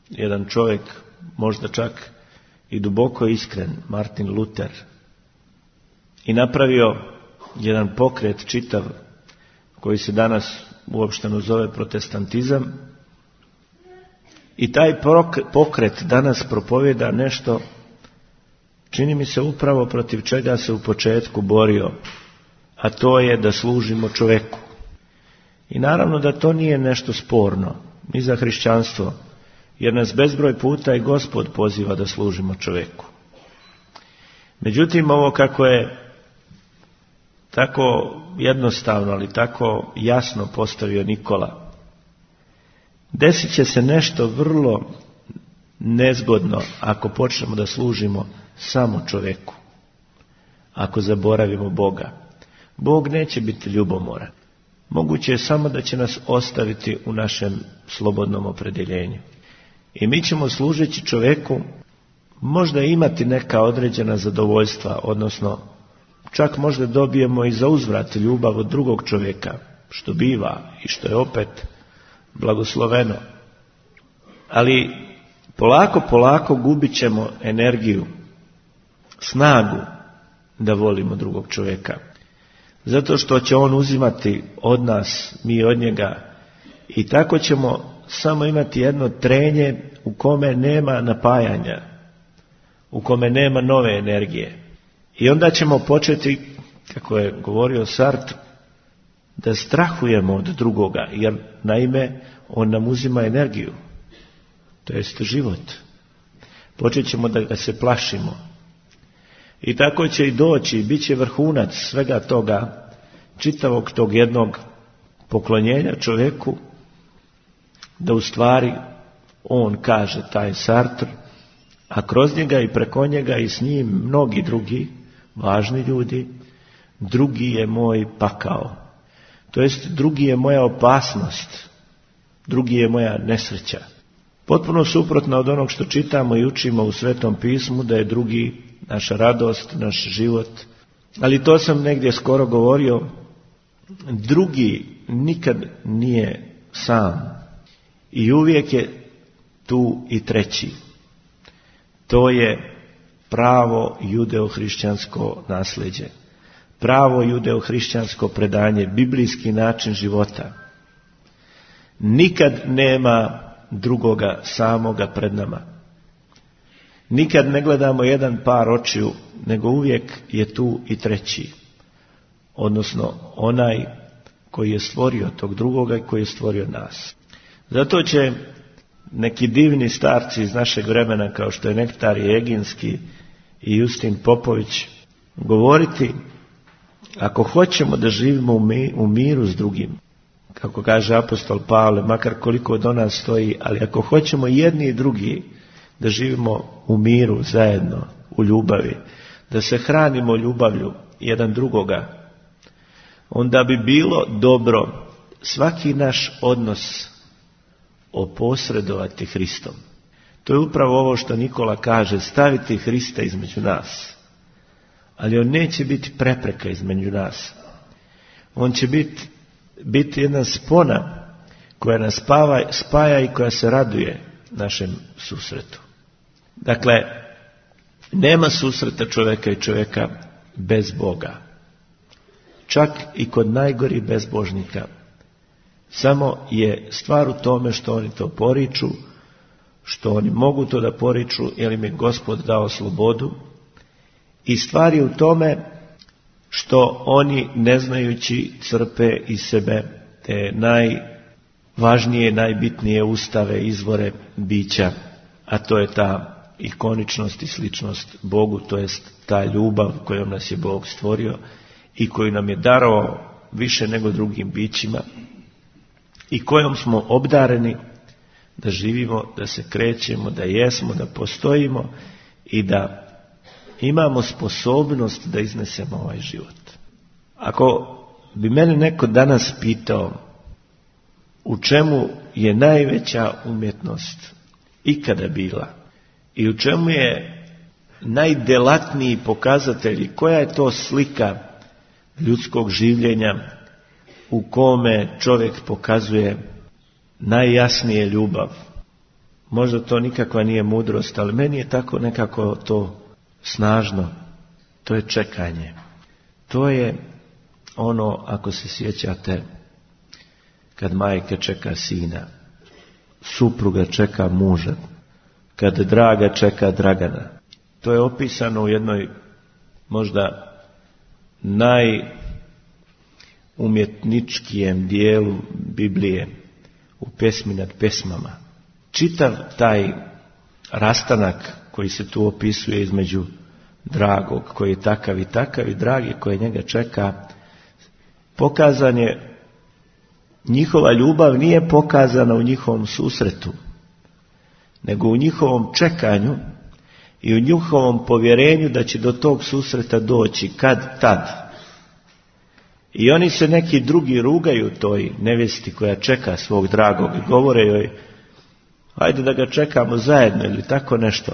jedan čovjek, možda čak i duboko iskren, Martin Luther, i napravio jedan pokret čitav koji se danas uopšteno zove protestantizam. I taj pokret danas propovjeda nešto, čini mi se upravo protiv čega se u početku borio, a to je da služimo čovjeku. I naravno da to nije nešto sporno ni za hrišćanstvo, jer nas bezbroj puta i Gospod poziva da služimo čovjeku. Međutim, ovo kako je tako jednostavno, ali tako jasno postavio Nikola, desit će se nešto vrlo nezgodno ako počnemo da služimo samo čovjeku, ako zaboravimo Boga. Bog neće biti ljubomoran. Moguće je samo da će nas ostaviti u našem slobodnom opredjeljenju. I mi ćemo služeći čovjeku možda imati neka određena zadovoljstva, odnosno čak možda dobijemo i za uzvrat ljubav od drugog čovjeka, što biva i što je opet blagosloveno. Ali polako, polako gubit ćemo energiju, snagu da volimo drugog čovjeka. Zato što će on uzimati od nas, mi od njega, i tako ćemo samo imati jedno trenje u kome nema napajanja, u kome nema nove energije. I onda ćemo početi, kako je govorio Sartre, da strahujemo od drugoga, jer naime on nam uzima energiju, to jest život. Počet ćemo da ga se plašimo, I tako će i doći, bit će vrhunac svega toga, čitavog tog jednog poklonjenja čovjeku, da u stvari on kaže, taj Sartre, a kroz njega i preko njega i s njim mnogi drugi važni ljudi, drugi je moj pakao. To jest, drugi je moja opasnost, drugi je moja nesreća. Potpuno suprotno od onog što čitamo i učimo u Svetom pismu, da je drugi naša radost, naš život. Ali to sam negdje skoro govorio, drugi nikad nije sam i uvijek je tu i treći. To je pravo judeo-hrišćansko nasljeđe, pravo judeo-hrišćansko predanje, biblijski način života. Nikad nema drugoga samoga pred nama. Nikad ne gledamo jedan par očiju, nego uvijek je tu i treći. Odnosno onaj koji je stvorio tog drugoga i koji je stvorio nas. Zato će neki divni starci iz našeg vremena, kao što je Nektarije Eginski i Justin Popović, govoriti, ako hoćemo da živimo u miru s drugim, kako kaže apostol Pavle, makar koliko do nas stoji, ali ako hoćemo jedni i drugi da živimo u miru zajedno, u ljubavi, da se hranimo ljubavlju jedan drugoga, onda bi bilo dobro svaki naš odnos oposredovati Hristom. To je upravo ovo što Nikola kaže, staviti Hrista između nas. Ali on neće biti prepreka između nas. On će biti, biti jedna spona koja nas spava, spaja i koja se raduje našem susretu. Dakle, nema susreta čovjeka i čovjeka bez Boga. Čak i kod najgorih bezbožnika. Samo je stvar u tome što oni to poriču, što oni mogu to da poriču, jer im je Gospod dao slobodu. I stvar je u tome što oni, ne znajući, crpe iz sebe te najvažnije, najbitnije ustave, izvore bića, a to je ta ikoničnost i sličnost Bogu, to jest ta ljubav kojom nas je Bog stvorio i koju nam je darovao više nego drugim bićima i kojom smo obdareni da živimo, da se krećemo, da jesmo, da postojimo i da imamo sposobnost da iznesemo ovaj život. Ako bi mene neko danas pitao u čemu je najveća umjetnost ikada bila i u čemu je najdelatniji pokazatelj, koja je to slika ljudskog življenja u kome čovjek pokazuje najjasnije ljubav. Možda to nikakva nije mudrost, ali meni je tako nekako to snažno. To je čekanje. To je ono, ako se sjećate, kad majka čeka sina, supruga čeka muža, kad draga čeka Dragana. To je opisano u jednoj možda najumjetničkijem dijelu Biblije, u Pesmi nad pesmama. Čitav taj rastanak koji se tu opisuje između dragog, koji je takav i takav, i dragi koji njega čeka, pokazan je, njihova ljubav nije pokazana u njihovom susretu, nego u njihovom čekanju i u njihovom povjerenju da će do tog susreta doći kad tad. I oni se neki drugi rugaju toj nevjesti koja čeka svog dragog i govore joj, ajde da ga čekamo zajedno ili tako nešto,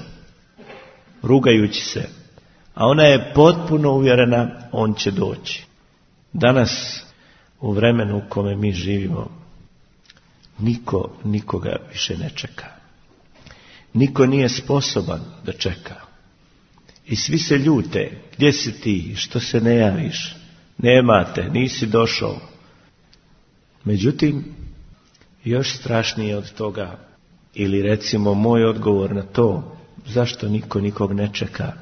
rugajući se. A ona je potpuno uvjerena, on će doći. Danas, u vremenu u kome mi živimo, niko nikoga više ne čeka. Niko nije sposoban da čeka. I svi se ljute, gdje si ti, što se ne javiš, nema te, nisi došao. Međutim, još strašnije od toga, ili recimo moj odgovor na to, zašto niko nikog ne čeka,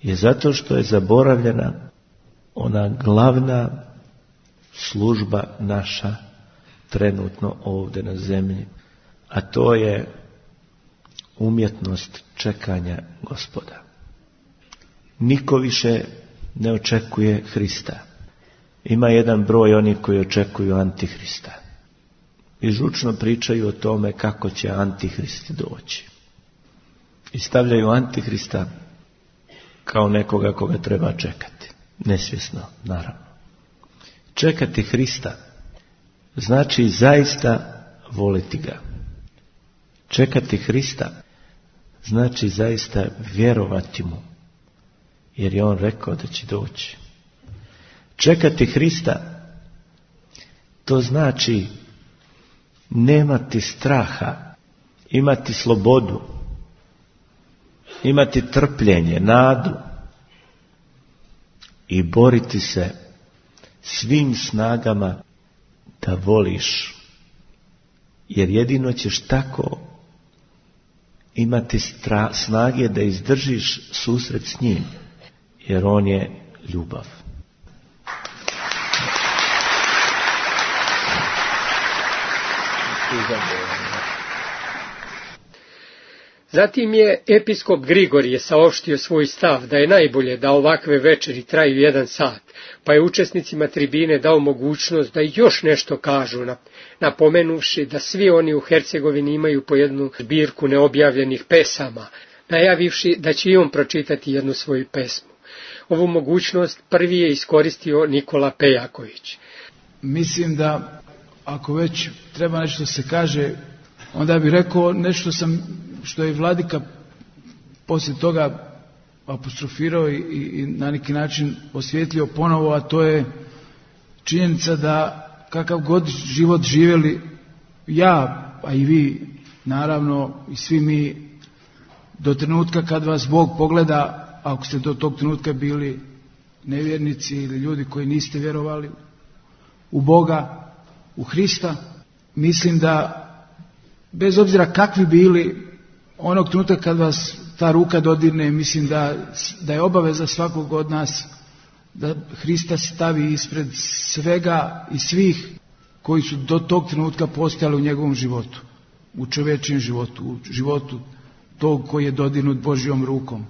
je zato što je zaboravljena ona glavna služba naša trenutno ovdje na zemlji, a to je umjetnost čekanja Gospoda. niko više ne očekuje Hrista. Ima jedan broj onih koji očekuju Antihrista. I žučno pričaju o tome kako će Antihrist doći. I stavljaju Antihrista kao nekoga koga treba čekati. Nesvjesno, naravno. Čekati Hrista znači zaista voliti ga. Čekati Hrista znači zaista vjerovati mu, jer je on rekao da će doći. Čekati Hrista, to znači nemati straha, imati slobodu, imati trpljenje, nadu i boriti se svim snagama da voliš, jer jedino ćeš tako imati stra, snage da izdržiš susret s njim, jer on je ljubav. Zatim je episkop Grigorije saopštio svoj stav da je najbolje da ovakve večeri traju jedan sat, pa je učesnicima tribine dao mogućnost da još nešto kažu, napomenuvši da svi oni u Hercegovini imaju po jednu zbirku neobjavljenih pesama, najavivši da će i on pročitati jednu svoju pesmu. Ovu mogućnost prvi je iskoristio Nikola Pejaković. Mislim da ako već treba nešto se kaže, onda bih rekao nešto sam, što je Vladika poslije toga apostrofirao i, i na neki način osvijetlio ponovo, a to je činjenica da kakav god život živjeli ja, a i vi naravno i svi mi, do trenutka kad vas Bog pogleda, ako ste do tog trenutka bili nevjernici ili ljudi koji niste vjerovali u Boga, u Hrista, mislim da bez obzira kakvi bili, onog trenutka kad vas ta ruka dodirne, mislim da, da je obaveza svakog od nas da Hrista stavi ispred svega i svih koji su do tog trenutka postojali u njegovom životu, u čovječijem životu, u životu tog koji je dodirnut Božjom rukom.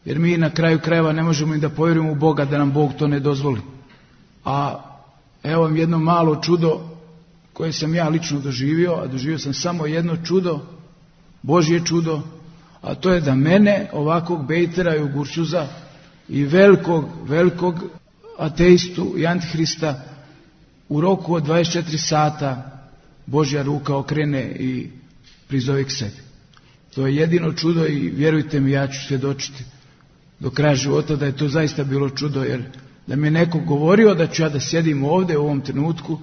Jer mi na kraju krajeva ne možemo i da povjerujemo u Boga da nam Bog to ne dozvoli. A evo vam jedno malo čudo koje sam ja lično doživio, a doživio sam samo jedno čudo, Božje čudo, a to je da mene, ovakvog bejtera i ugurčuza i velikog, velikog ateistu i antihrista, u roku od dvadeset četiri sata Božja ruka okrene i prizove k sebi. To je jedino čudo i vjerujte mi, ja ću svjedočiti do kraja života da je to zaista bilo čudo, jer da mi je neko govorio da ću ja da sjedim ovdje u ovom trenutku,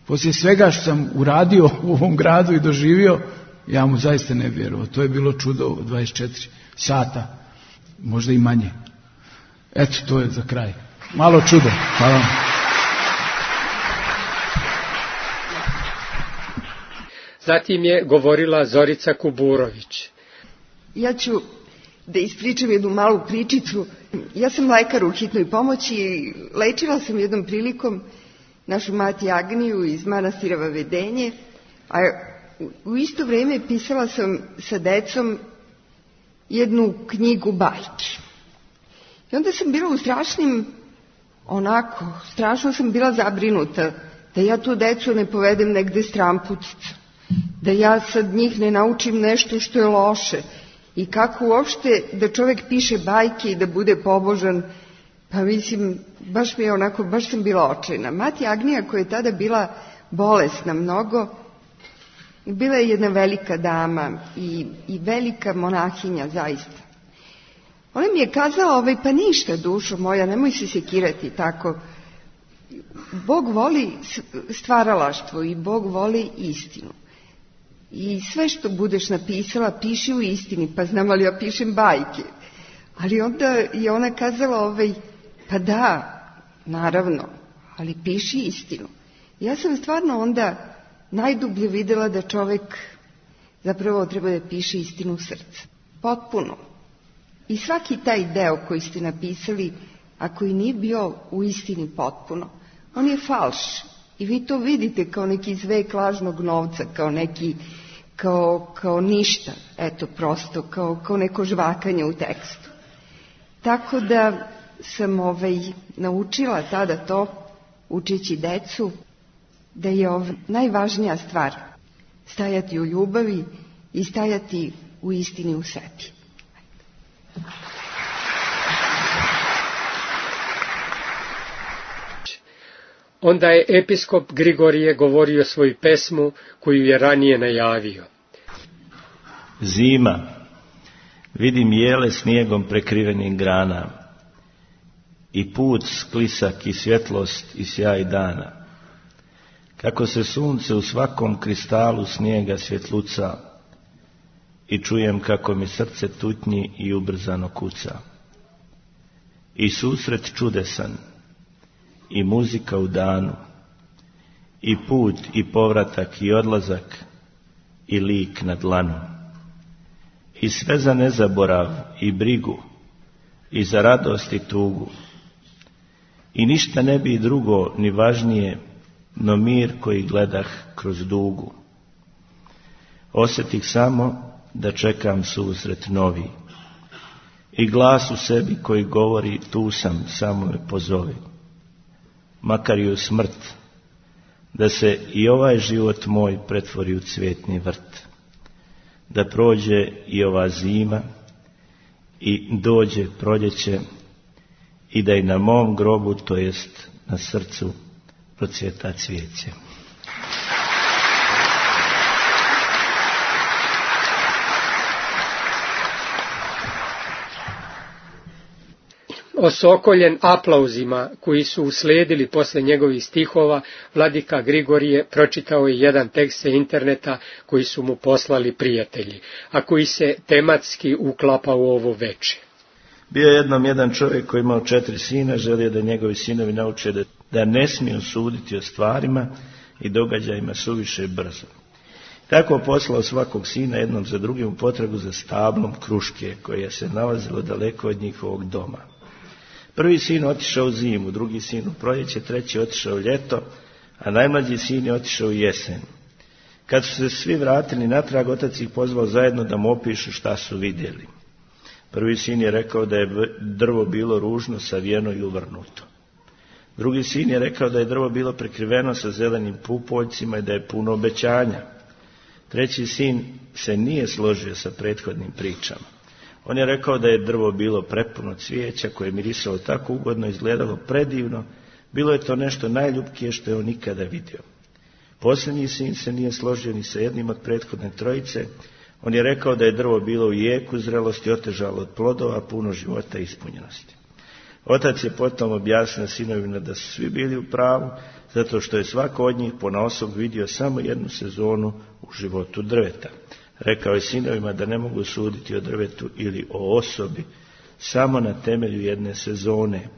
poslije svega što sam uradio u ovom gradu i doživio, ja mu zaista ne vjerovao. To je bilo čudo od dvadeset četiri sata, možda i manje. Eto, to je za kraj. Malo čudo. Hvala. Zatim je govorila Zorica Kuburović. Ja ću da ispričam jednu malu pričicu. Ja sam lekar u hitnoj pomoći i lečila sam jednom prilikom našu mati Agniju iz manastira Vavedenje, a u isto vrijeme pisala sam sa decom jednu knjigu bajki. I onda sam bila u strašnim, onako, strašno sam bila zabrinuta da ja tu decu ne povedem negde stramputica, da ja sad njih ne naučim nešto što je loše i kako uopšte da čovjek piše bajke i da bude pobožan. Pa mislim, baš mi je onako, baš sam bila očajna. Mati Agnija, koja je tada bila bolesna mnogo, bila je jedna velika dama i, i velika monahinja zaista. Ona mi je kazala, ovaj, pa ništa dušo moja, nemoj se sekirati tako. Bog voli stvaralaštvo i Bog voli istinu. I sve što budeš napisala, piši u istini, pa znam ali ja pišem bajke. Ali onda je ona kazala, ovaj, pa da, naravno, ali piši istinu. Ja sam stvarno onda najdublje vidjela da čovjek zapravo treba da piše istinu u srcu. Potpuno. I svaki taj deo koji ste napisali, a koji nije bio u istini potpuno, on je falš. I vi to vidite kao neki zvek lažnog novca, kao neki, kao, kao ništa, eto prosto, kao, kao neko žvakanje u tekstu. Tako da sam ovaj, naučila tada to, učeći decu, da je ovaj, najvažnija stvar stajati u ljubavi i stajati u istini u sebi. Onda je episkop Grigorije govorio svoju pesmu koju je ranije najavio. Zima, vidim jele snijegom prekrivenih grana i put sklisak i svjetlost i sjaj dana. Kako se sunce u svakom kristalu snijega svjetluca i čujem kako mi srce tutnji i ubrzano kuca. I susret čudesan, i muzika u danu, i put i povratak i odlazak, i lik na dlanu. I sve za nezaborav i brigu, i za radost i tugu. I ništa ne bi drugo ni važnije, no mir koji gledah kroz dugu. Osjetih samo da čekam susret novi, i glas u sebi koji govori tu sam, samo me pozovi. Makar i u smrt, da se i ovaj život moj pretvori u cvjetni vrt, da prođe i ova zima i dođe proljeće i da i na mom grobu, to jest na srcu, procvjeta cvijeće. Osokoljen aplauzima koji su uslijedili posle njegovih stihova, vladika Grigorije pročitao je jedan tekst sa interneta koji su mu poslali prijatelji, a koji se tematski uklapa u ovo veče. Bio je jednom jedan čovjek koji imao četiri sina, želio da njegovi sinovi nauče da, da ne smiju suditi o stvarima i događajima suviše brzo. Tako poslao svakog sina jednom za drugim u potragu za stablom kruške koje se nalazilo daleko od njihovog doma. Prvi sin otišao u zimu, drugi sin u proljeće, treći otišao u ljeto, a najmlađi sin je otišao u jesen. Kad su se svi vratili natrag, otac ih pozvao zajedno da mu opišu šta su vidjeli. Prvi sin je rekao da je drvo bilo ružno, savijeno i uvrnuto. Drugi sin je rekao da je drvo bilo prekriveno sa zelenim pupoljcima i da je puno obećanja. Treći sin se nije složio sa prethodnim pričama. On je rekao da je drvo bilo prepuno cvijeća koje je mirisalo tako ugodno, izgledalo predivno, bilo je to nešto najljubkije što je on nikada vidio. Posljednji sin se nije složio ni sa jednim od prethodne trojice. On je rekao da je drvo bilo u jeku zrelosti, otežalo od plodova, puno života i ispunjenosti. Otac je potom objasnio sinovima da su svi bili u pravu, zato što je svako od njih ponaosob vidio samo jednu sezonu u životu drveta. Rekao je sinovima da ne mogu suditi o drvetu ili o osobi samo na temelju jedne sezone.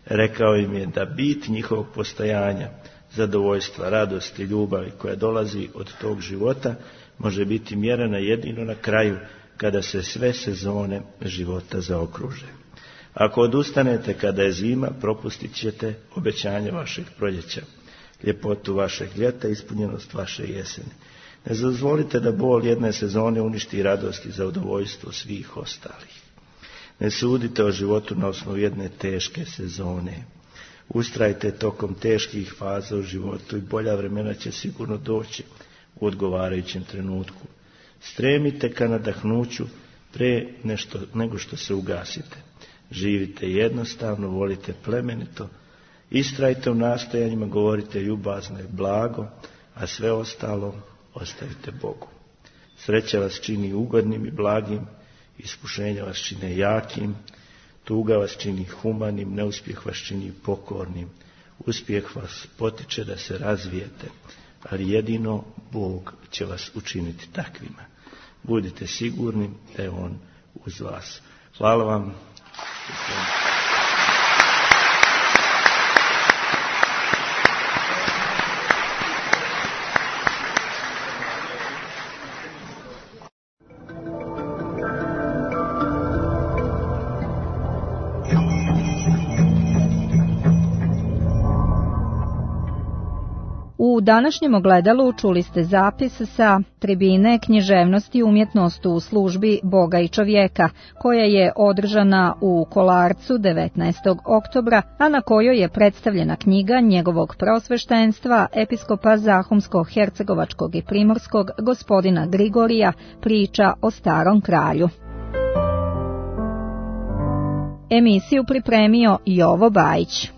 Rekao im je da bit njihovog postojanja, zadovoljstva, radosti, ljubavi koja dolazi od tog života može biti mjerena jedino na kraju kada se sve sezone života zaokruže. Ako odustanete kada je zima, propustit ćete obećanje vašeg proljeća, ljepotu vašeg ljeta, ispunjenost vaše jeseni. Ne dozvolite da bol jedne sezone uništi radost i zadovoljstvo svih ostalih. Ne sudite o životu na osnovu jedne teške sezone. Ustrajte tokom teških faza u životu i bolja vremena će sigurno doći u odgovarajućem trenutku. Stremite ka nadahnuću pre nešto, nego što se ugasite. Živite jednostavno, volite plemenito, istrajte u nastojanjima, govorite ljubazno i blago, a sve ostalo ostavite Bogu. Sreća vas čini ugodnim i blagim, iskušenja vas čine jakim, tuga vas čini humanim, neuspjeh vas čini pokornim, uspjeh vas potiče da se razvijete, ali jedino Bog će vas učiniti takvima. Budite sigurni da je On uz vas. Hvala vam. U današnjem ogledalu čuli ste zapis sa tribine književnosti i umjetnost u službi Boga i čovjeka, koja je održana u Kolarcu devetnaestog oktobra, a na kojoj je predstavljena knjiga njegovog preosveštenstva, episkopa Zahumsko-hercegovačkog i primorskog gospodina Grigorija, Priča o starom kralju. Emisiju pripremio Jovo Bajić.